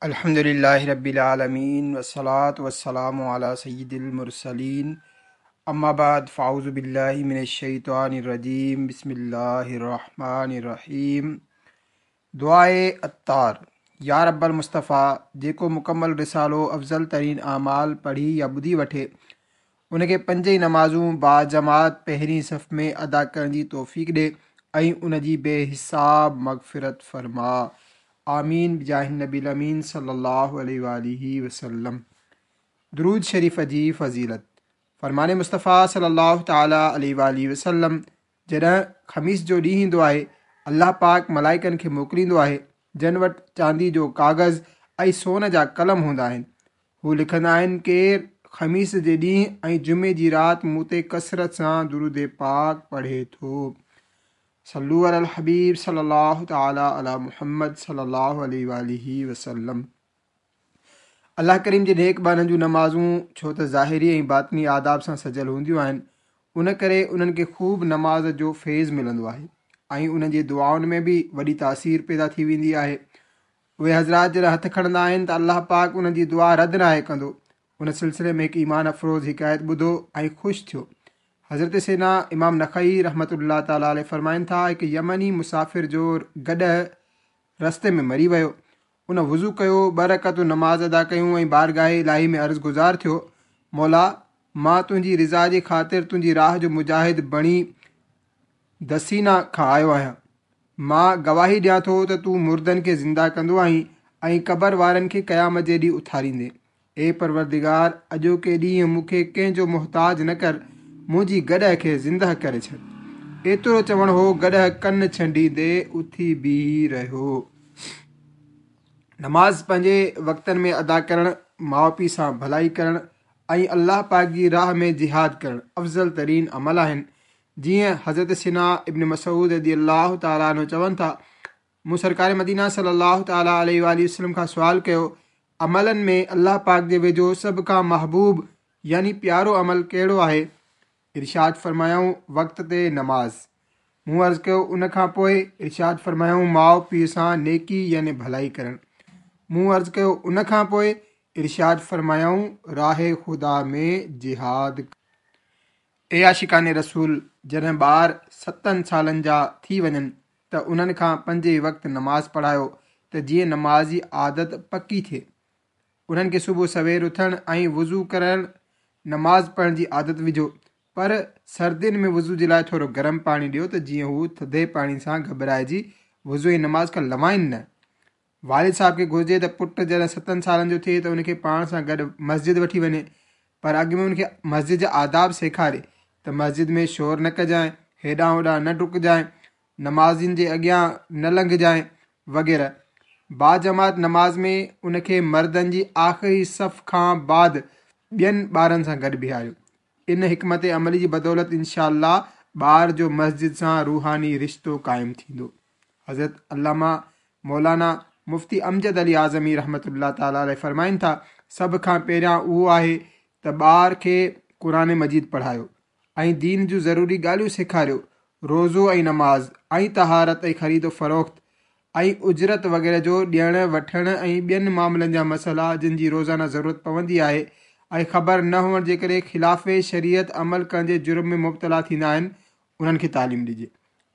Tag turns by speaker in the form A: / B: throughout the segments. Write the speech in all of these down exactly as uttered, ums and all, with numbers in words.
A: अल्हम्दुलिल्लाहि रब्बिल आलमीन वस्सलातु वस्सलामु अला सय्यिदिल मुरसलीन अम्मा बाद फ़ाऊज़ु बिल्लाहि मिनश शैतानिर रजीम बिस्मिल्लाहिर रहमानिर रहीम। दुआए अत्तार। या रब्बल मुस्तफ़ा, जेको मुकम्मल रिसालो अफ़ज़ल तरीन आमाल पढ़ी या ॿुधी वठे उनखे पंज ई नमाज़ूं बाजमात पहिरीं सफ़ में अदा करण जी तौफ़ीक ॾे ऐं उन जी बेहिसाब मग़फ़िरत फरमा। आमीन बिजाहि नबी अमीन सल्लल्लाहु अलैहि वसल्लम। दुरूद शरीफ़ जी फ़ज़ीलत। फरमाने मुस्तफ़ा सल्लल्लाहु ताला अलैहि वसल्लम, जॾहिं ख़मीस जो ॾींहुं ईंदो आहे अल्लाह पाक मलाइकनि खे मोकिलींदो आहे जन वटि चांदी जो कागज़ ऐं सोन जा कलम हूंदा आहिनि। हू लिखंदा आहिनि केरु ख़मीस जे ॾींहुं ऐं जुमे जी राति मूं ते कसरत सां दुरूद पाक पढ़े थो। सल्लु अलल हबीब सल्लल्लाहु ताला अला मुहम्मद सल्लल्लाहु अलैहि वसल्लम। अल्लाह करीम जे नेक ॿारनि जूं नमाज़ूं छो त ज़ाहिरी ऐं बातिनी आदाब सां सजल हूंदियूं आहिनि, उन करे उन्हनि खे ख़ूब नमाज़ जो फैज़ मिलंदो आहे ऐं उन्हनि जे दुआउनि में बि वॾी तासीर पैदा थी वेंदी आहे। उहे हज़रात जॾहिं हथ खणंदा आहिनि त अल्लाह पाक उन्हनि जी दुआ रद्द नाहे कंदो। उन सिलसिले में हिकु ईमान अफ़रोज़ हिकायत ॿुधो ऐं ख़ुशि थियो। हज़रत सेना इमाम नख़ई रहमतुल्लाह ताला अलैह फरमाइनि था, हिकु यमनी मुसाफ़िर जो गॾह रस्ते में मरी वियो। उन वुज़ू कयो, ॿ रकअतूं नमाज़ अदा कयूं ऐं बारगाह इलाही में अर्ज़ गुज़ार थियो, मौला मां तुंहिंजी रज़ा जे ख़ातिर तुंहिंजी राह जो मुजाहिद बणी दसीना खां आयो आहियां। मां गवाही ॾियां थो त तूं मुर्दनि खे ज़िंदा कंदो आहीं ऐं क़बर वारनि खे क़यामत जे ॾींहुं उथारींदे। ए परवरदिगार, अॼोके ॾींहुं मूंखे कंहिंजो मोहताज न कर, मुंहिंजी गॾह खे ज़िंदा करे छॾ। एतिरो चवणु हो, गॾह कन छंडींदे उथी बीही रहियो। नमाज़ पंहिंजे वक़्तनि में अदा करणु, माउ पीउ सां भलाई करणु ऐं अल्लाह पाक जी राह में जिहाद करणु अफ़ज़ल तरीन अमल आहिनि। जीअं हज़रत सिना इब्न मसऊद रज़ी अल्लाह ताला अन्हु चवनि था, मूं सरकार मदीना सल्लल्लाहु ताला अलैहि वसल्लम खां सुवाल कयो, अमलनि में अल्लाह पाक जे वेझो सभ खां महबूब यानी प्यारो अमल कहिड़ो आहे? इरशाद फरमायूं, वक़्त ते नमाज़। मूं अर्ज़ कयो, उन खां पोइ? इरशाद फरमायूं, माउ पीउ सां नेकी यानी भलाई करणु। मूं अर्ज़ कयो, उन खां पोइ? इरशाद फरमायूं, राह ख़ुदा में जिहाद। ए आशिकान रसूल, जॾहिं ॿार सतनि सालनि जा थी वञनि त उन्हनि खां पंज ई वक़्तु नमाज़ पढ़ायो त जीअं नमाज़ जी आदत पकी थिए। उन्हनि खे सुबुह सवेर उथणु ऐं वुज़ू करणु, नमाज़ पढ़ण जी आदत विझो, पर सर्दियुनि में वुज़ू जे लाइ थोरो गरम पाणी ॾियो त जीअं हू थधे पाणी सां घबराइजी वुज़ू ऐं नमाज़ खां लवाइनि न। वालिद साहिब खे घुर्जे त पुटु जॾहिं सतनि सालनि जो थिए त उनखे पाण सां गॾु मस्जिद वठी वञे, पर अॻु में उनखे मस्जिद जा आदाब सेखारे त मस्जिद में शोर न कजांइ, हेॾां होॾां न डुकजांइ, नमाज़ियुनि जे अॻियां न लंघजांइ वग़ैरह। बाजमात नमाज़ में उनखे मर्दनि जी आख़िरी सफ़ खां बाद ॿियनि ॿारनि सां गॾु बीहारियो। इन हिकमत अमली जी बदौलत इंशा ॿार जो मस्जिद सां रूहानी रिश्तो क़ाइमु थींदो। हज़रत अल्लामा मौलाना मुफ्ती अमजद अली आज़मी रहमतुल्लाह ताला अलैह फरमाइनि था, सभ खां पहिरियां उहो आहे त ॿार खे क़ुरान मजीद पढ़ायो ऐं दीन जूं ज़रूरी ॻाल्हियूं सेखारियो। रोज़ो ऐं नमाज़ ऐं तहारत ऐं ख़रीदो फ़रोख़्त ऐं उजरत वग़ैरह जो ॾियण वठण ऐं ॿियनि मामलनि जा मसइला जिन जी रोज़ाना ज़रूरत पवंदी आहे ऐं ख़बर न हुअण जे करे ख़िलाफ़ शरीयत अमल करण जे जुर्म में मुब्तला थींदा आहिनि, उन्हनि खे तालीम ॾिजे।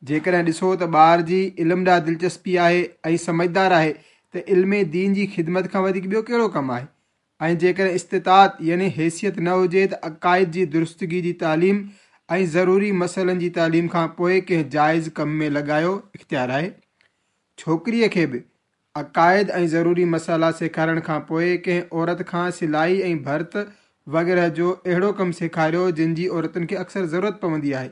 A: जेकॾहिं ॾिसो त ॿार जी इल्म ॾांहुं दिलचस्पी आहे ऐं समझदार आहे त इल्म दीन जी ख़िदमत खां वधीक ॿियो कहिड़ो कमु आहे। ऐं जेकॾहिं इस्तितात यानी हैसियत न हुजे त अक़ाइद जी दुरुस्तगी जी तालीम ऐं ज़रूरी मसइलनि जी तालीम खां पोइ कंहिं जाइज़ कम में लॻायो इख़्तियार आहे। छोकिरीअ खे बि अक़ाइद ऐं ज़रूरी मसाला सेखारण खां पोइ कंहिं औरत खां सिलाई ऐं भरत वग़ैरह जो अहिड़ो कमु सेखारियो जिन जी औरतुनि खे अक्सर ज़रूरत पवंदी आहे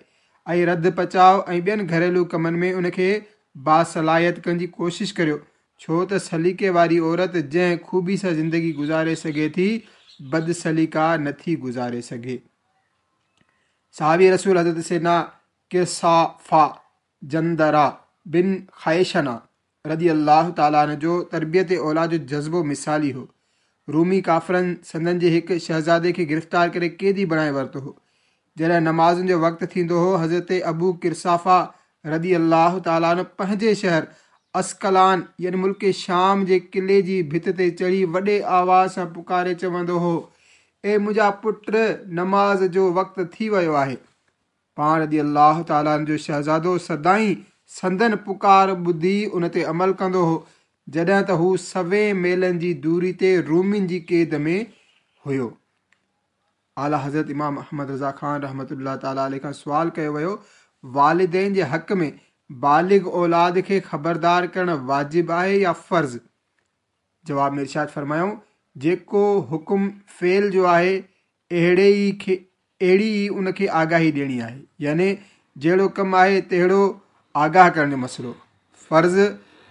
A: ऐं रंध पचाव ऐं ॿियनि घरेलू कमनि में उनखे बासलाहियत करण जी कोशिशि करियो, छो त सलीके वारी औरत जंहिं ख़ूबी सां ज़िंदगी गुज़ारे सघे थी, बदसलीका नथी गुज़ारे सघे। सहाबी रसूल हज़रत सेना किरसाफ़ा जंदरा बिन ख़ैशना रदी अल्लाह ताला अन्हु जो तरबियत औलाद जो जज़्बो मिसाली हो। रूमी काफ़रनि संदन जे हिकु शहज़ादे खे गिरफ़्तार करे क़ैदी बणाए वरितो हो। जॾहिं नमाज़ुनि जो वक़्तु थींदो हो, हज़रत अबू किरसाफ़ा रदी अल्लाह ताला अन्हु पंहिंजे शहर عسقلان يعني ملڪ شام جي قلعي جي ڀت تي چڙهي وڏي آواز سان پڪاري چوندو هو، اي منهنجا پٽ، نماز جو وقت ٿي ويو آهي. پاڻ رضي الله تعاليٰ عنه جو شهزادو سدائين سندن پڪار ٻڌي ان تي عمل ڪندو هو، جڏهن ته هو سوين ميلن جي دوري تي رومين جي قيد ۾ هيو. اعليٰ حضرت امام احمد رضا خان رحمة الله تعاليٰ عليه کان سوال ڪيو ويو، والدين جي حق ۾ بالغ اولاد کي خبردار ڪرڻ واجب آهي يا فرض؟ جواب ۾ ارشاد فرمايائون، جيڪو حڪم فعل جو آهي اهڙي ئي کي اهڙي ئي ان کي آگاهي ڏيڻي آهي، يعني جهڙو ڪم آهي تهڙو آگاهه ڪرڻ جو مسئلو. فرض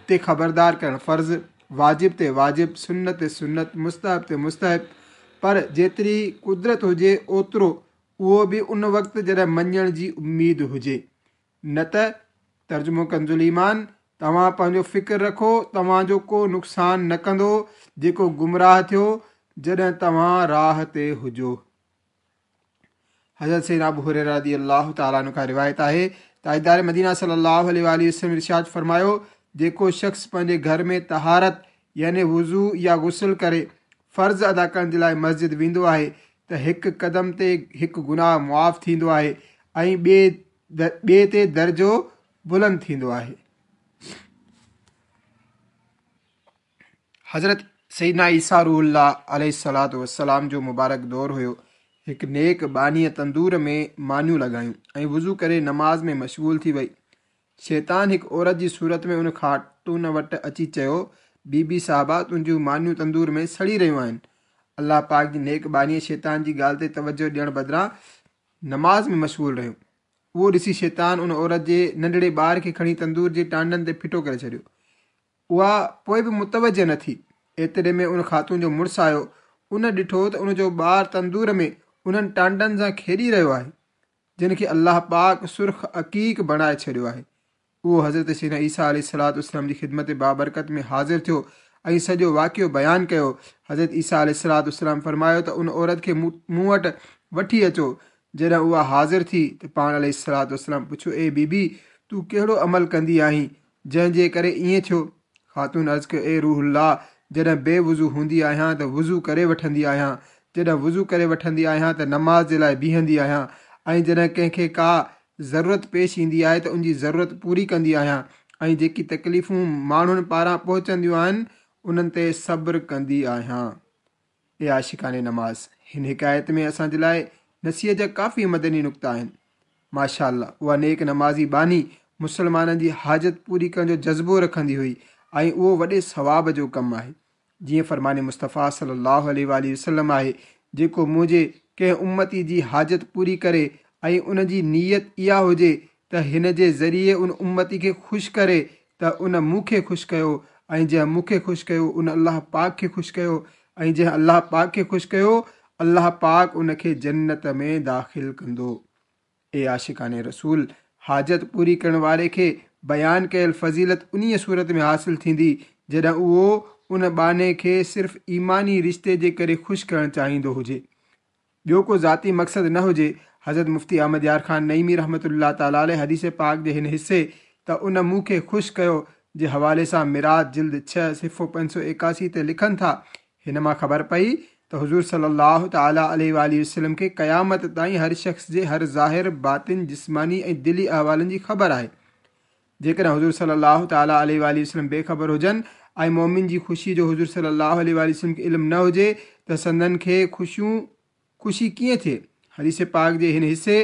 A: تي خبردار ڪرڻ فرض، واجب تي واجب، سنت تي سنت، مستحب تي مستحب، پر جيتري قدرت هجي اوترو، اهو به ان وقت جڏهن مڃڻ جي اميد هجي. نه ته ترجمو ڪنز الايمان، توهان پنهنجو فڪر رکو، توهان جو ڪو نقصان نه ڪندو جيڪو گمراهه ٿيو جڏهن توهان راهه تي هجو. حضرت سيدنا ابو هريره رضي الله تعاليٰ عنه کان روايت آهي، تاجدار مدينه صلي الله عليه وآله وسلم ارشاد فرمايو، جيڪو شخص پنهنجي گهر ۾ طهارت يعني وضو يا غسل ڪري فرض ادا ڪرڻ جي لاءِ مسجد ويندو آهي ته هڪ قدم تي هڪ گناهه معاف ٿيندو آهي ۽ ٻئي ٻئي تي درجو بلند ٿيندو آهي. حضرت سيدنا عيسيٰ روح الله عليه الصلوة والسلام جو مبارڪ دور هيو. هڪ نيڪ ٻانهيءَ تندور ۾ مانيون لڳايون ۽ وضو ڪري نماز ۾ مشغول ٿي وئي. شيطان هڪ عورت جي صورت ۾ ان خاتون وٽ اچي چيو، بي بي صاحبه، تنهنجون مانيون تندور ۾ سڙي رهيون آهن. الله پاڪ جي نيڪ ٻانهيءَ شيطان جي ڳالهه تي توجه ڏيڻ بدران نماز ۾ مشغول رهيو. اهو ڏسي شيطان ان عورت جي ننڍڙي ٻار کي کڻي تندور جي ٽانڊن تي ڦٽو ڪري ڇڏيو. اها پوءِ به متوجه نه ٿي. ايتري ۾ ان خاتون جو مڙس آيو. ان ڏٺو ته ان جو ٻار تندور ۾ انهن ٽانڊن سان کيڏي رهيو آهي، جن کي الله پاڪ سرخ عقيق بڻائي ڇڏيو آهي. اهو حضرت سيدنا عيسيٰ عليه الصلوة والسلام جي خدمت بابرڪت ۾ حاضر ٿيو ۽ سڄو واقعو بيان ڪيو. حضرت عيسيٰ عليه الصلوة والسلام فرمايو ته ان عورت کي مون وٽ وٺي اچو. جڏهن اها حاضر ٿي ته پاڻ عليه الصلوة والسلام پڇيو، اي بي بي، تون ڪهڙو عمل ڪندي آهين جنهن جي ڪري ائين ٿيو؟ خاتون عرض ڪيو، اي روح الله، جڏهن بي وضو هوندي آهيان ته وضو ڪري وٺندي آهيان، جڏهن وضو ڪري وٺندي آهيان ته نماز جي لاءِ بيهندي آهيان، ۽ جڏهن ڪنهن کي ڪا ضرورت پيش ايندي آهي ته ان جي ضرورت پوري ڪندي آهيان، ۽ جيڪي تڪليفون ماڻهن پاران پهچنديون آهن انهن تي صبر ڪندي آهيان. اي عاشقان نماز، هن حڪايت ۾ اسان جي لاءِ نصيحت جا ڪافي مدني نقطا آهن. ماشاء الله، اها نيڪ نمازي ٻانهي مسلمانن جي حاجت پوري ڪرڻ جو جذبو رکندي هئي ۽ اهو وڏي ثواب جو ڪم آهي. جيئن فرمان مصطفيٰ صلي الله عليه وآله وسلم آهي، جيڪو منهنجي ڪنهن امتي جي حاجت پوري ڪري ۽ ان جي نيت اها هجي ته هن جي ذريعي ان امتي کي خوش ڪري ته ان مون کي خوش ڪيو، ۽ جنهن مون کي خوش ڪيو ان الله پاڪ کي خوش ڪيو، ۽ جنهن الله پاڪ کي خوش ڪيو الله پاڪ ان کي جنت ۾ داخل ڪندو. اي عاشقان رسول، حاجت پوري ڪرڻ واري کي بيان ڪيل فضيلت انهيءَ صورت ۾ حاصل ٿيندي جڏهن اهو ان ٻانهي کي صرف ايماني رشتي جي ڪري خوش ڪرڻ چاهيندو هجي، ٻيو ڪو ذاتي مقصد نه هجي. حضرت مفتي احمد يار خان نعيمي رحمة الله تعاليٰ عليه حديث پاڪ جي هن حصي ته ان مون کي خوش ڪيو جي حوالي سان مرات جلد ڇهه صفحو پنج سؤ ايڪاسي تي لکن ٿا، هن مان خبر پئي ته حضور صلي الله تعاليٰ عليه وآله وسلم کي قيامت تائين هر شخص جي هر ظاهر، باطن، جسماني ۽ دلي احوالن جي خبر آهي. جيڪڏهن حضور صلي الله تعاليٰ عليه وآله وسلم بي خبر هجن ۽ مومن جي خوشي جو حضور صلي الله عليه وآله وسلم کي علم نه هجي ته سندن کي خوشيون خوشي ڪيئن ٿئي؟ حديث پاڪ جي هن حصي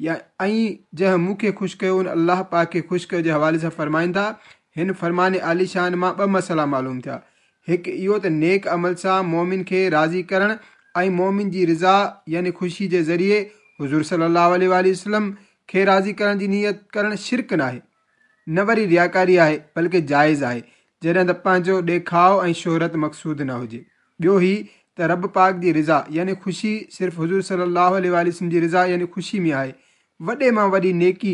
A: يا ۽ جنهن مون کي خوش ڪيو ان الله پاڪ کي خوش ڪيو جي حوالي سان فرمائن ٿا، هن فرمان عالي شان مان ٻه مسئلا معلوم ٿيا. هڪ اهو ته نيڪ عمل سان مومن کي راضي ڪرڻ ۽ مومن جي رضا يعني خوشي جي ذريعي حضور صلي الله عليه وآله وسلم کي راضي ڪرڻ جي نيت ڪرڻ شرڪ ناهي، نه وري رياڪاري آهي، بلڪه جائز آهي، جڏهن ته پنهنجو ڏيکاءُ ۽ شهرت مقصود نه هجي. ٻيو هي ته رب پاڪ جي رضا يعني خوشي صرف حضور صلي الله عليه وآله وسلم جي رضا يعني خوشي ۾ آهي. وڏي مان وڏي نيڪي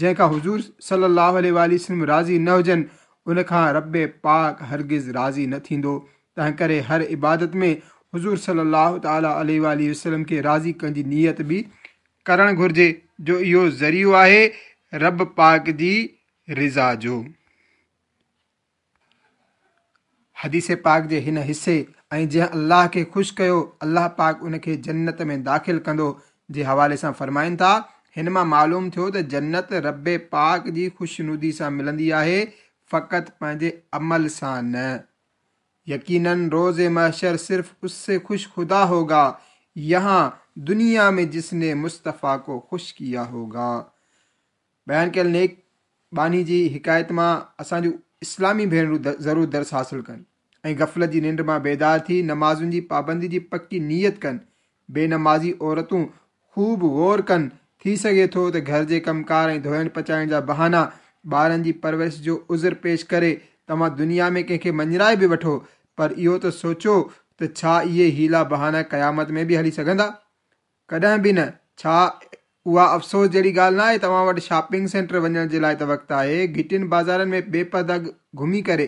A: جنهن کان حضور صلي الله عليه وآله وسلم راضي نه هجن ان کان رب پاڪ هرگز راضي نه ٿيندو. تنهن ڪري هر عبادت ۾ حضور صلي الله تعاليٰ عليه وآله وسلم کي راضي ڪرڻ جي نيت به ڪرڻ گهرجي، جو اهو ذريعو آهي رب پاڪ جي رضا جو. حديث پاڪ جي هن حصي ۽ جنهن الله کي خوش ڪيو الله پاڪ ان کي جنت ۾ داخل ڪندو جي حوالي سان فرمائن ٿا، هن مان معلوم ٿيو ته جنت رب پاڪ جي خوشنودي سان ملندي آهي، فقط پنهنجي عمل سان نه. यकीनन रोज़ महशर सिर्फ उससे खुश खुदा होगा यहाँ दुनिया में जिसने मुस्तफ़ा को खुश किया होगा। बयान कयल नेक ॿान्ही जी हिकायत मां असांजूं इस्लामी भेणरूं ज़रूर दर्स हासिल कनि ऐं गफ़लत जी निंड मां बेदार थी नमाज़ुनि जी पाबंदी जी पकी नीयत कनि। बेनमाज़ी औरतूं ख़ूब गौर कनि, थी सघे थो त घर जे कमकार ऐं धोइण पचाइण जा बहाना, ॿारनि जी परवरिश जो उज़ुर पेश करे तव्हां दुनिया में कंहिंखे मञराए बि वठो, पर इहो त सोचो त छा इहे हीला बहाना क़यामत में बि हली सघंदा? कॾहिं बि न। छा उहा अफ़सोस जहिड़ी ॻाल्हि न आहे? तव्हां वटि शॉपिंग सेंटर वञण जे लाइ त वक़्तु आहे, घिटियुनि बाज़ारनि में बेपर्दा घुमी करे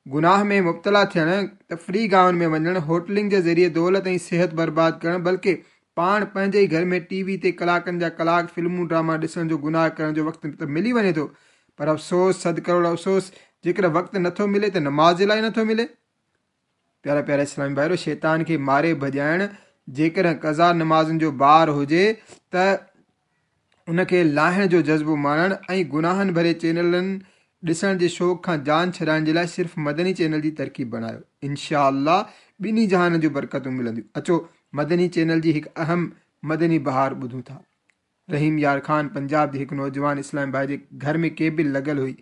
A: गुनाह में मुब्तला थियणु, तफ़री गाहुनि में वञणु, होटलिंग जे ज़रिए दौलत ऐं सिहत बर्बाद करणु, बल्कि पाण पंहिंजे ई घर में टीवी ते कलाकनि जा कलाक फ़िल्मूं ड्रामा ॾिसण जो गुनाह करण जो वक़्तु त मिली वञे थो, पर अफ़सोस, सद करोड़ अफ़सोस, जेकॾहिं वक़्तु नथो मिले त नमाज़ जे लाइ नथो मिले। प्यारा प्यारा इस्लामी भाइरो, शैतान खे मारे भॼाइण जेकॾहिं कज़ा नमाज़ुनि जो बार हुजे त उनखे लाहिण जो जज़्बो माणण ऐं गुनाहनि भरे चैनलनि ॾिसण जे शौक़ खां जान छॾाइण जे लाइ सिर्फ़ु मदनी चैनल जी तरकीब बणायो। इनशा अल्लाह ॿिन्ही जहाननि जूं बरकतूं मिलंदियूं। अचो मदनी चैनल जी हिकु अहम मदनी बहार ॿुधूं था। रहीम यार खान पंजाब जे हिकु नौजवान इस्लाम भाई जे घर में केबल लॻल हुई।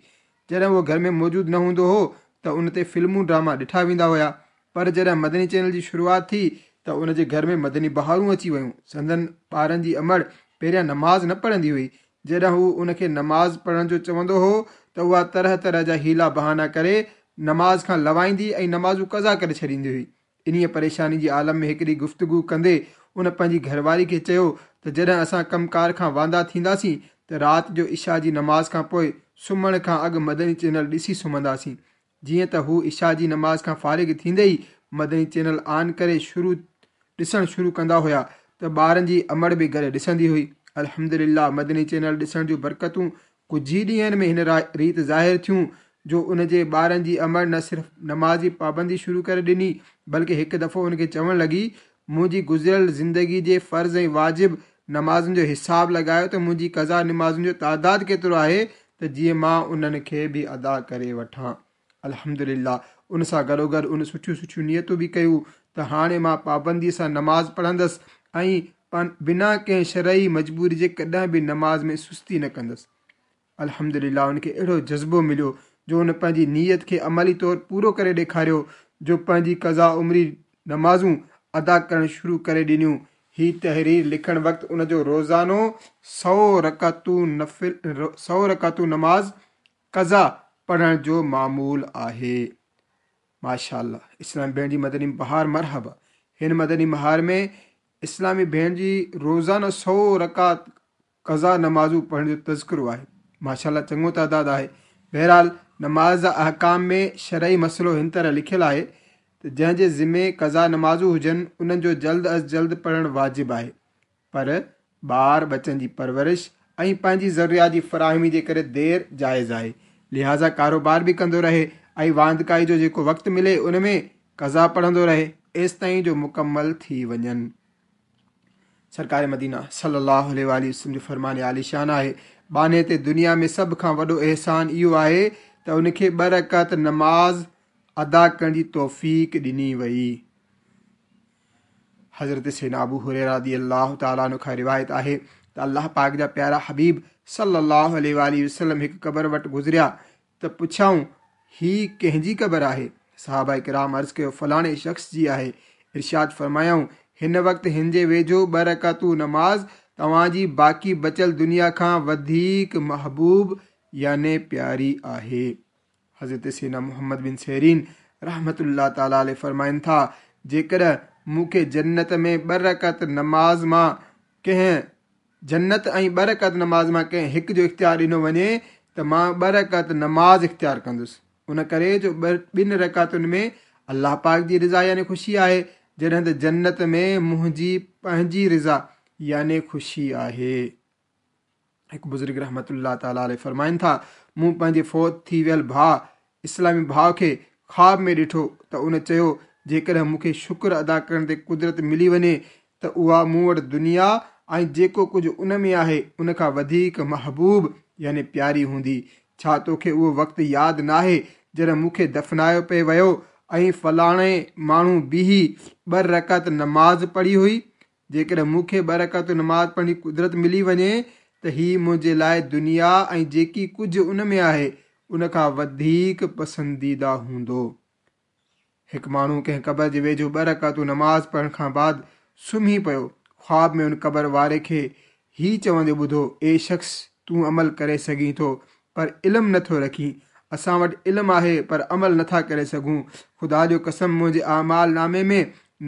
A: जॾहिं उहो घर में मौजूदु न हूंदो हो त उन ते फ़िल्मूं ड्रामा ॾिठा वेंदा हुया, पर जॾहिं मदनी चैनल जी शुरूआत थी त उन जे घर में मदनी बहारूं अची वयूं। संदन ॿारनि जी अमड़ पहिरियां नमाज़ न पढ़ंदी हुई। जॾहिं हू उनखे नमाज़ पढ़ण जो चवंदो हो त उहा तरह तरह जा हीला बहाना करे नमाज़ खां लवाईंदी ऐं नमाज़ूं कज़ा करे छॾींदी हुई। इन्हीअ परेशानी जी आलम में हिकिड़ी गुफ़्तगू कंदे उन पंहिंजी घरवारी खे चयो त जॾहिं असां कमकार खां वांदा थींदासीं त राति जो इशा जी नमाज़ खां पोइ सुम्हण खां अॻु मदनी चैनल ॾिसी सुम्हंदासीं। जीअं त हू इशा जी नमाज़ खां फ़ारिग थींदे ई मदनी चैनल ऑन करे शुरू ॾिसणु शुरू कंदा हुया त ॿारनि जी अमड़ बि गॾु ॾिसंदी हुई। अल्हम्दुलिल्लाह मदनी चैनल ॾिसण जूं बरकतूं कुझु ई ॾींहंनि में हिन रीति ज़ाहिर थियूं जो उन जे ॿारनि जी अमड़ न सिर्फ़ नमाज़ जी पाबंदी शुरू करे ॾिनी, बल्कि हिकु दफ़ो उनखे चवणु लॻी, मुंहिंजी गुज़िरियल ज़िंदगी जे फ़र्ज़ ऐं वाजिब नमाज़ुनि जो हिसाब लॻायो त मुंहिंजी कज़ा नमाज़ुनि जो तादाद केतिरो आहे त जीअं मां उन्हनि खे बि अदा करे वठां। अल्हम्दुलिल्लाह उन सां गॾोगॾु उन सुठियूं सुठियूं नियतूं बि कयूं त हाणे मां पाबंदीअ सां नमाज़ पढ़ंदसि ऐं बिना कंहिं शरई मजबूरी जे कॾहिं बि नमाज़ में सुस्ती न कंदसि। अल्हम्दुलिल्लाह उनखे अहिड़ो जज़्बो मिलियो जो उन पंहिंजी नीयत खे अमली तौर पूरो करे ॾेखारियो, जो पंहिंजी कज़ा उमरी नमाज़ूं अदा करणु शुरू करे ॾिनियूं। ही तहरीर लिखण वक़्तु उन जो रोज़ानो सौ रकातूं नफ़िल सौ रकातूं नमाज़ कज़ा पढ़ण जो मामूल आहे। माशाअल्लाह इस्लामी भेण जी मदनी बहार मरहबा। हिन मदनी बहार में इस्लामी भेण जी रोज़ानो सौ रकात कज़ा नमाज़ूं पढ़ण जो तज़किरो आहे। माशाअल्लाह चङो तादाद आहे। बहरहाल नमाज़ जा अहकाम में शरई मसइलो हिन तरह लिखियलु आहे त जंहिंजे ज़िमे कज़ा नमाज़ूं हुजनि उन्हनि जो जल्द अज़ जल्द पढ़णु वाजिब आहे, पर ॿार बच्चनि जी परवरिश ऐं पंहिंजी ज़रूरियात जी फराहमी जे करे देरि जाइज़ आहे। लिहाज़ा कारोबार बि कंदो रहे ऐं वांदकाई जो जेको वक़्तु मिले उन में कज़ा पढ़ंदो रहे एसि ताईं जो मुकमल थी वञनि। सरकार मदीना सल्लल्लाहु अलैहि वसल्लम जो फरमान आलीशान आहे, ॿान्हे ते दुनिया में सभ खां वॾो अहसान इहो आहे त उनखे ॿ रकात नमाज़ अदा करण जी तौफ़ीक ॾिनी वई। हज़रत सैयदना अबू हुरैरा रज़ी अल्लाह तआला अन्हु खां रिवायत आहे त अल्लाह पाक जा प्यारा हबीब सल्लल्लाहु अलैहि वसल्लम हिकु क़बर वटि गुज़रिया त पुछियाऊं, ही कंहिंजी क़बर आहे? सहाबा किराम अर्ज़ कयो, फलाणे शख़्स जी आहे। इरशाद फरमायाऊं, हिन वक़्तु हिन जे वेझो ॿ रकातूं नमाज़ तव्हांजी बाक़ी बचियल दुनिया खां वधीक महबूब याने प्यारी आहे। हज़रत सैयदना मोहम्मद बिन सीरीन रहमतुल्लाह ताला अलैहि फरमाइनि था, जेकॾहिं मूंखे जन्नत में ॿ रकात नमाज़ मां कंहिं जन्नत ऐं ॿ रकात नमाज़ मां कंहिं हिकु जो इख़्तियार ॾिनो वञे त मां ॿ रकात नमाज़ इख़्तियार कंदुसि, उन करे जो ॿिनि रकातुनि में अल्लाह पाक जी रज़ा यानी ख़ुशी आहे, जॾहिं त जन्नत में मुंहिंजी पंहिंजी रज़ा यानी ख़ुशी आहे। हिकु बुज़ुर्ग रहमतुल्लाह ताला अलैहि फरमाइनि था, मूं पंहिंजे फौत थी वियल भाउ इस्लामी भाउ खे خواب ۾ ڏٺو ته ان چيو، جيڪڏهن مون کي شڪر ادا ڪرڻ تي قدرت ملي وڃي ته اها مون وٽ دنيا ۽ جيڪو ڪجهه ان ۾ آهي ان کان وڌيڪ محبوب يعني پياري هوندي. ڇا توکي اهو وقت ياد ناهي جڏهن مون کي دفنايو پئي ويو ۽ فلاڻي ماڻهو بيهي ٻه رڪعت نماز پڙهي هئي؟ جيڪڏهن مون کي ٻه رڪعت نماز پڙهڻ جي قدرت ملي وڃي ته هي منهنجي لاءِ دنيا ۽ جيڪي ڪجهه ان ۾ آهي ان کان وڌيڪ پسنديده هوندو. هڪ ماڻهو ڪنهن قبر جي ويجهو ٻه رڪعتون نماز پڙهڻ کان بعد سمهي پيو. خواب ۾ ان قبر واري کي هي چوندي ٻڌو، اي شخص، تون عمل ڪري سگهين ٿو پر علم نٿو رکين. اسان وٽ علم آهي پر عمل نٿا ڪري سگهون. خدا جو قسم، منهنجي اعمال نامي ۾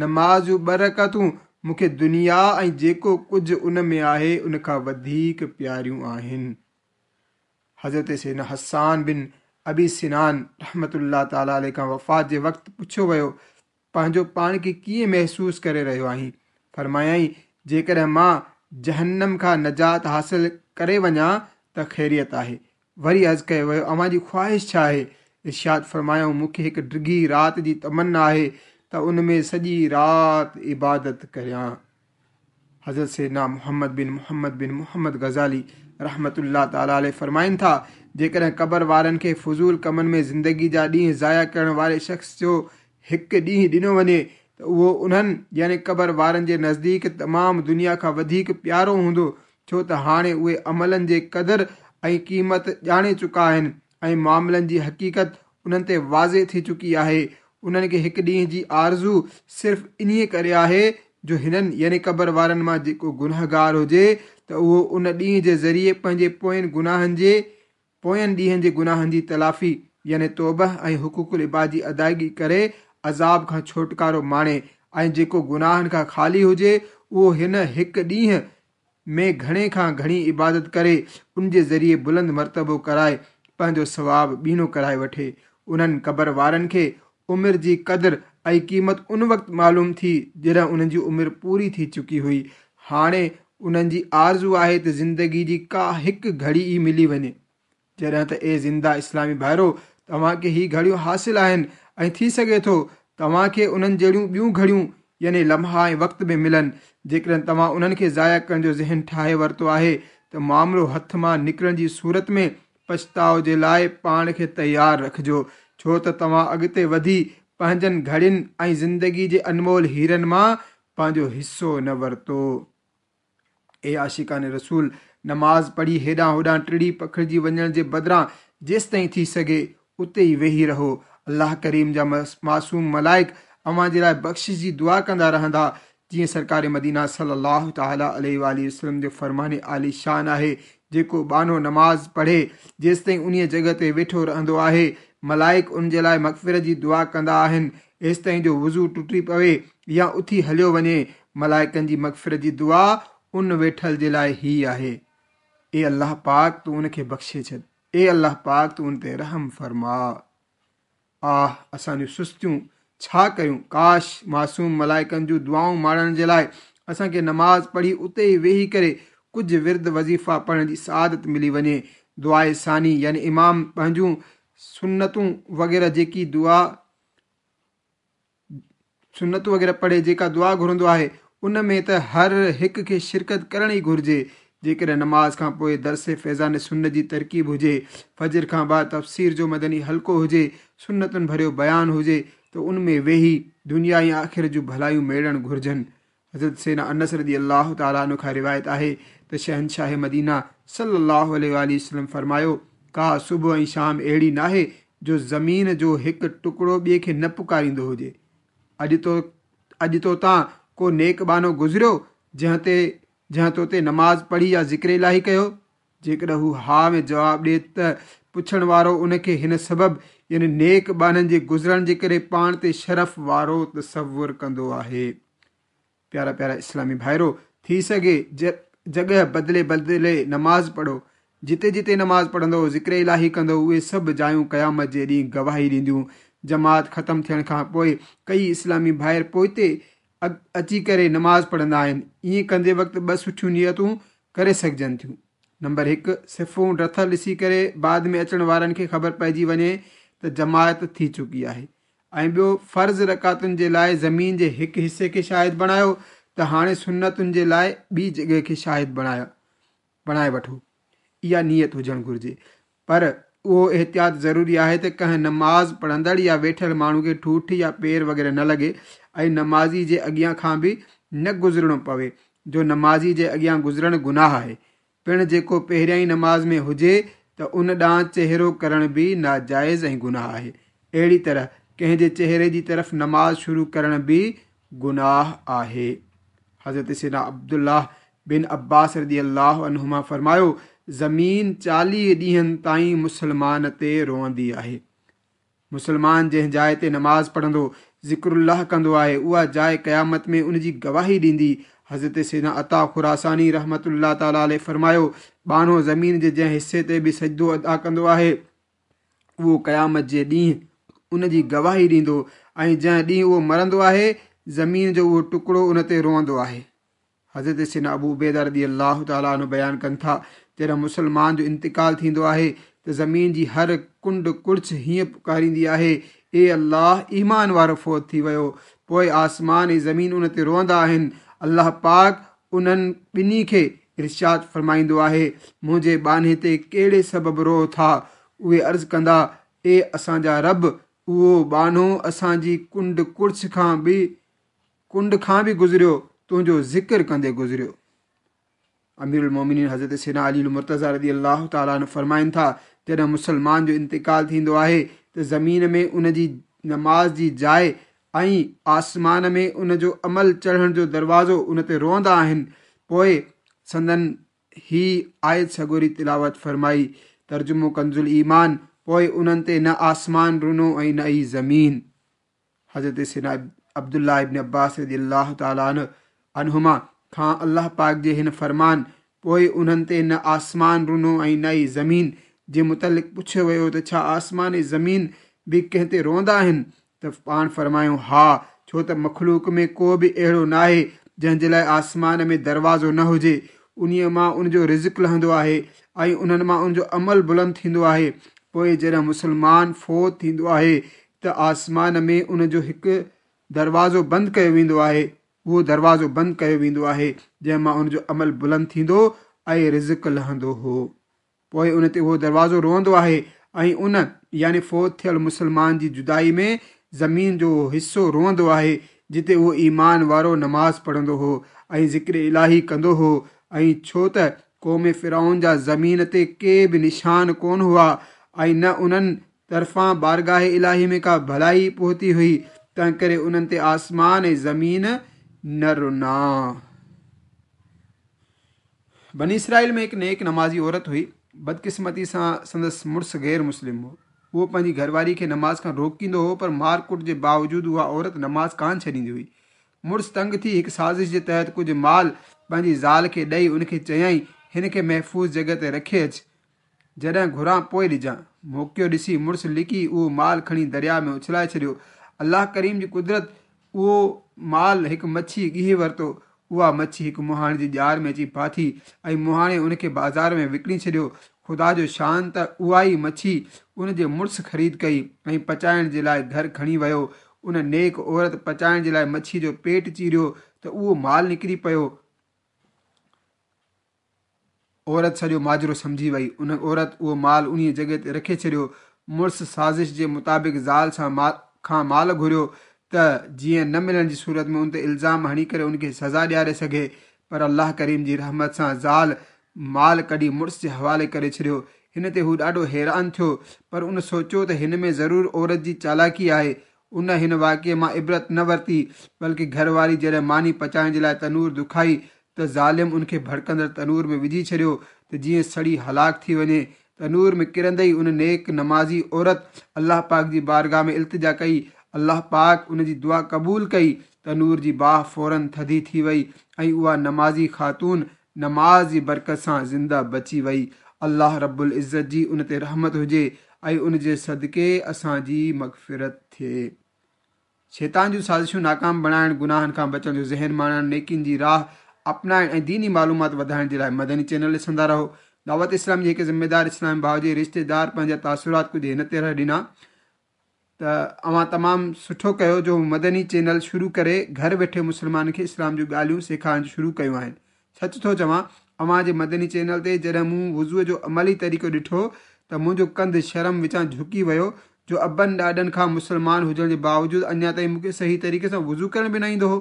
A: نماز جون ٻه رڪعتون مون کي دنيا ۽ جيڪو ڪجهه ان ۾ آهي ان کان وڌيڪ پياريون آهن. حضرت سيدنا حسان بن ابي سنان رحمة الله تعالٰي عليه کان وفات جي وقت پڇيو ويو، پنهنجو پاڻ کي ڪيئن محسوس ڪري رهيو آهين؟ فرمايائين، جيڪڏهن مان جهنم کان نجات حاصل ڪري وڃان ته خيريت آهي. وري عرض ڪيو ويو، اوهان جي خواهش ڇا آهي؟ ارشاد فرمايائون، مون کي هڪ ڊگهي رات جي تمنا آهي ته ان ۾ سڄي رات عبادت ڪريان. حضرت سيدنا محمد بن محمد بن محمد غزالي رحمة الله تعالٰي عليه فرمائن ٿا، جيڪڏهن قبر وارن کي فضول ڪمن ۾ زندگي جا ڏينهن ضايع ڪرڻ واري شخص جو هڪ ڏينهن ڏنو وڃي ته اهو انهن يعني قبر وارن جي نزديڪ تمام دنيا کان وڌيڪ پيارو هوندو، ڇو ته هاڻي اهي عملن جي قدر ۽ قيمت ڄاڻي چڪا آهن ۽ معاملن جي حقيقت انهن تي واضح ٿي چڪي آهي. انهن کي هڪ ڏينهن جي آرزو صرف انهيء ڪري آهي جو هنن يعني قبر وارن مان جيڪو گنهگار هجي ته اهو ان ڏينهن جي ذريعي پنهنجي پوين گناهن جي پوين ڏينهن جي گناهن جي تلافي يعني توبه ۽ حقوق العباد جي ادائگي ڪري عذاب کان ڇوٽڪارو ماڻي ۽ جيڪو گناهن کان خالي هجي اهو هن هڪ ڏينهن ۾ گهڻي کان گهڻي عبادت ڪري ان جي ذريعي بلند مرتبو ڪرائي پنهنجو ثواب ٻيڻو ڪرائي وٺي. انهن قبر وارن کي عمر جي قدر ۽ قيمت ان وقت معلوم ٿي جڏهن انهن جي عمر پوري ٿي چڪي هئي. هاڻي انهن جي آرزو آهي ته زندگي جي ڪا هڪ گهڙي ئي ملي وڃي. جڏهن ته اي زنده اسلامي ڀائرو، توهان کي هي گهڙيون حاصل آهن ۽ ٿي سگهي ٿو توهان کي انهن جهڙيون ٻيون گهڙيون يعني لمحا ۽ وقت به ملن. جيڪڏهن توهان انهن کي ضايع ڪرڻ جو ذهن ٺاهي ورتو آهي ته معاملو هٿ مان نڪرڻ جي صورت ۾ پڇتاءُ جي لاءِ پاڻ کي تيار رکجو، ڇو ته توهان اڳتي وڌي پنهنجن گهڙين ۽ زندگي جي انمول هيرن مان پنهنجو حصو نه ورتو. اي عاشقان رسول، نماز پڙهي هيڏانهن هوڏانهن ٽڙي پکڙجي وڃڻ جي بدران جيستائين ٿي سگهي اتي ئي ويهي رهو. الله ڪريم جا معصوم ملائڪ اوهان جي لاءِ بخشش جي دعا ڪندا رهندا، جيئن سرڪار مدينه صلي الله تعالٰي عليه وآله وسلم جو فرمان عالي شان آهي، جيڪو ٻانهو نماز پڙهي جيستائين انهيء جڳهه تي ويٺو رهندو آهي ملائڪ ان جي لاءِ مغفرت جي دعا ڪندا آهن، ايستائين جو وضو ٽٽي پوي يا اٿي هليو وڃي. ملائڪن جي مغفرت جي دعا ان ويٺل جي لاءِ هي آهي، اي الله پاڪ تون ان کي بخشي ڇڏ، اي الله پاڪ تون ان تي رحم فرما. آه، اسان جون سستيون ڇا ڪيون! ڪاش معصوم ملائڪن جون دعائون ماڻڻ جي لاءِ اسان کي نماز پڙهي اتي ئي ويهي ڪري ڪجهه ورد وظيفا پڙهڻ جي سعادت ملي وڃي. دعاءِ ثاني يعني امام پنهنجون سنتون وغيره جيڪي دعا سنتون وغيره پڙهي جيڪا دعا گهرندو آهي ان ۾ ته هر هڪ کي شرڪت ڪرڻ ئي گهرجي. جيڪڏهن نماز کان پوءِ درس فيضان سنت جي ترڪيب هجي، فجر کان بعد تفسير جو مدني حلقو هجي، سنتن ڀريو بيان هجي ته ان ۾ ويهي دنيا ۽ آخر جون ڀلايون ميڙڻ گهرجن. حضرت سيدنا انس رضي الله تعالٰي عنه کان روايت آهي ته شهنشاهه مدينه صلي الله عليه وآله وسلم فرمايو، ڪا صبح ۽ شام اهڙي ناهي جو زمين جو هڪ ٽڪڙو ٻئي کي نه پڪاريندو هجي. اڄ تو اڄ تو تان ڪو نيڪ ٻانهو گذريو جنهن تي جنهن تو تي نماز پڙهي يا ذڪر الاهي ڪيو؟ جيڪڏهن هو ها ۾ جواب ڏئي ته پڇڻ وارو ان کي هن سبب يعني نيڪ ٻانهن جي گذرڻ جي ڪري پاڻ تي شرف وارو تصور ڪندو آهي. پيارا پيارا اسلامي ڀائرو، ٿي سگهي جڳهه بدلي بدلي نماز پڙهو. جتي جتي نماز پڙهندو، ذڪر الاهي ڪندو، اهي سڀ جايون قيامت جي ڏينهن گواهي ڏينديون. جماعت ختم ٿيڻ کان پوءِ ڪئي اسلامي ڀائر پوئتي اچي ڪري نماز پڙهندا آهن. ائين ڪندي وقت ٻه سٺيون نيتون ڪري سگهجن ٿيون. نمبر هڪ، صفون رٿل ڏسي ڪري بعد ۾ اچڻ وارن کي خبر پئجي وڃي ته جماعت ٿي چڪي آهي. ۽ ٻيو فرض رڪعتن جي لاءِ زمين جي هڪ حصي کي شاهد بڻايو ته هاڻي سنتن جي لاءِ ٻي جڳهه کي شاهد بڻايا بڻائي وٺو. اها نيت هجڻ گهرجي. پر اهو احتياط ضروري آهي ته ڪنهن نماز پڙهندڙ يا ويٺل ماڻهو کي ٺوٺ يا پير وغيره نه لڳي ۽ نمازي جي اڳيان کان به نه گذرڻو پوي، جو نمازي جي اڳيان گذرڻ گناهه آهي. پڻ جيڪو پهريائين نماز ۾ هجي ته ان ڏانهن چهرو ڪرڻ به ناجائز ۽ گناهه آهي. اهڙي طرح ڪنهن جي چهري جي طرف نماز شروع ڪرڻ به گناهه آهي. حضرت سيدنا عبدالله بن عباس رضي الله عنهما فرمايو، زمين چاليهه ڏينهن تائين مسلمان تي روئندي آهي. مسلمان جنهن جاءِ تي نماز پڙهندو، ذڪر الله ڪندو آهي، اها جاءِ قيامت ۾ ان جي گواهي ڏيندي. حضرت سيدنا عطا خراساني رحمة الله تعالٰي عليه فرمايو، ٻانهو زمين جي جنهن حصي تي به سجدو ادا ڪندو آهي اهو قيامت جي ڏينهن ان جي گواهي ڏيندو ۽ جنهن ڏينهن اهو مرندو آهي زمين جو اهو ٽڪڙو ان تي روئندو آهي. حضرت سيدنا ابو عبيده رضي الله تعالٰي عنه بيان ڪن ٿا، جڏهن مسلمان جو انتقال ٿيندو آهي ته زمين جي هر ڪنڊ ڪڙڇ هيئن پڪاريندي آهي، اي الله، ايمان وارو فوت ٿي ويو. پوءِ آسمان ۽ زمين ان تي روئندا آهن. الله پاڪ انهن ٻنهي کي ارشاد فرمائيندو آهي، منهنجي ٻانهي تي ڪهڙي سبب روئو ٿا؟ اهي عرض ڪندا، اي اسان جا رب، اهو ٻانهو اسان جي ڪنڊ ڪڙڇ کان به ڪنڊ کان به گذريو، تنهنجو ذڪر ڪندي گذريو. امير المومنين حضرت سيدنا علي المرتضيٰ رضي الله تعالٰي عنه فرمائن ٿا، جڏهن مسلمان جو انتقال ٿيندو آهي ته زمين ۾ ان جي نماز جي جاءِ ۽ آسمان ۾ ان جو عمل چڙهڻ جو دروازو ان تي روئندا آهن. پوءِ سندن هي آيت سڳوري تلاوت فرمائي، ترجمو ڪنز الايمان، پوءِ انهن تي نه آسمان رنو ۽ نه ئي زمين. حضرت سيدنا عبدالله ابن عباس رضي الله تعالٰي عنهما کان الله پاڪ جي هن فرمان، پوءِ انهن تي نه آسمان رنو ۽ نه ئي زمين جي متعلق پڇيو ويو ته ڇا آسمان ۽ زمين به ڪنهن تي روئندا آهن؟ ته پاڻ فرمايو، ها، ڇو ته مخلوق ۾ ڪو به اهڙو ناهي جنهن جي لاءِ آسمان ۾ دروازو نه هجي. انهيءَ مان ان جو رزق لهندو آهي ۽ انهن مان ان جو عمل بلند ٿيندو آهي. پوءِ جڏهن مسلمان فوت ٿيندو آهي ته آسمان ۾ ان جو هڪ دروازو بند ڪيو ويندو آهي، اهو دروازو بند ڪيو ويندو آهي جنهن مان ان جو عمل بلند ٿيندو ۽ رزق لهندو هو. پوءِ ان تي اهو دروازو روئندو آهي ۽ ان يعني فوت ٿيل مسلمان جي جدائي ۾ زمين جو حصو روئندو آهي جتي اهو ايمان وارو نماز پڙهندو هو ۽ ذڪر الاهي ڪندو هو. ۽ ڇو ته قوم فرعون جا زمين تي ڪي به نشان ڪونه هئا ۽ نه انهن طرفان بارگاهه الاهي ۾ ڪا ڀلائي پهتي هئي، تنهن ڪري انهن تي آسمان ۽ زمين نه رنا. بني اسرائيل ۾ هڪ نيڪ نمازي عورت هئي. بدقسمتي سان سندس مڙس غير مسلم هو. اهو پنهنجي گهرواري کي نماز کان روڪيندو هو، پر مارڪٽ جي باوجود اها عورت نماز ڪانه ڇڏيندي هئي. مڙس تنگ ٿي هڪ سازش جي تحت ڪجهه مال پنهنجي زال کي ڏيئي ان کي چيائين، هن کي محفوظ جڳهه تي رکي اچ، جڏهن گهران پوءِ ڏجان. موقعو ڏسي مڙس لڪي اهو مال کڻي درياء ۾ اڇلائي ڇڏيو. الله ڪريم جي قدرت، اهو مال هڪ مڇي ڳيهي ورتو. اها مڇي هڪ مهاڻي جي ڄار ۾ اچي ڦاٿي ۽ مهاڻي ان کي بازار ۾ وڪڻي ڇڏيو. خدا جو شان ته اها ئي مڇي ان جي مڙس خريد ڪئي ۽ پچائڻ جي لاءِ گهر کڻي ويو. ان نيڪ عورت پچائڻ جي لاءِ مڇي جو پيٽ چيريو ته اهو مال نڪري پيو. عورت سڄو ماجرو سمجهي وئي. ان عورت اهو مال انهيءَ جڳهه تي رکي ڇڏيو. مڙس سازش جي مطابق زال سان مال کان مال گهريو ته جيئن نه ملڻ جي صورت ۾ ان تي الزام هڻي ڪري ان کي سزا ڏياري سگهي، پر الله ڪريم جي رحمت سان زال مال ڪڍي مڙس جي حوالي ڪري ڇڏيو. هن تي هو ڏاڍو حيران ٿيو، پر ان سوچيو ته هن ۾ ضرور عورت جي چالاڪي آهي. ان هن واقعي مان عبرت نه ورتي، بلڪه گهر واري جڏهن ماني پچائڻ جي لاءِ تنور دکائي ته ظالم ان کي ڀڙڪندڙ تنور ۾ وجهي ڇڏيو ته جيئن سڙي هلاڪ ٿي وڃي. تنور ۾ ڪرندي ئي ان نيڪ نمازي عورت الله پاڪ جي بارگاهه ۾ التجا ڪئي. الله پاڪ ان جي دعا قبول ڪئي. تنور جي باهه فورن ٿڌي ٿي وئي ۽ اها نمازي خاتون نماز جي برڪت سان زنده بچي وئي. الله رب العزت جي ان تي رحمت هجي ۽ ان جي صدقي اسان جي مغفرت ٿئي. شيطان جون سازشون ناڪام بڻائڻ، گناهن کان بچڻ جو ذهن ماڻڻ، نيڪين جي راهه اپنائڻ ۽ ديني معلومات وڌائڻ جي لاءِ مدني چينل ڏسندا رهو. دعوت اسلام جي هڪ ذميدار اسلام ڀاءُ جي رشتيدار پنهنجا تاثرات ڪجهه هن طرح ڏنا. ته اوهان تمام سٺو ڪيو جو مدني چينل شروع ڪري گهر ويٺي مسلمانن کي اسلام جون ڳالهيون سيکارڻ شروع ڪيون آهن. سچ ٿو چوان، اوهان جي مدني چينل تي جڏهن مون وضوء جو عملي طريقو ڏٺو ته منهنجو ڪنڌ شرم وچان جهڪي ويو جو ابن ڏاڏن کان مسلمان هجڻ جي باوجود اڃا تائين مون کي صحيح طريقي سان وضو ڪرڻ به نه ايندو هو.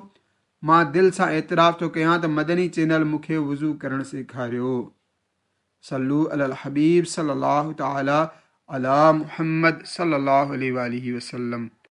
A: مان دل سان اعتراف ٿو ڪيان ته مدني چينل مون کي وضو ڪرڻ سيکاريو. صلو علی الحبيب صلي الله تعالي علي محمد صلي الله عليه وآله وسلم.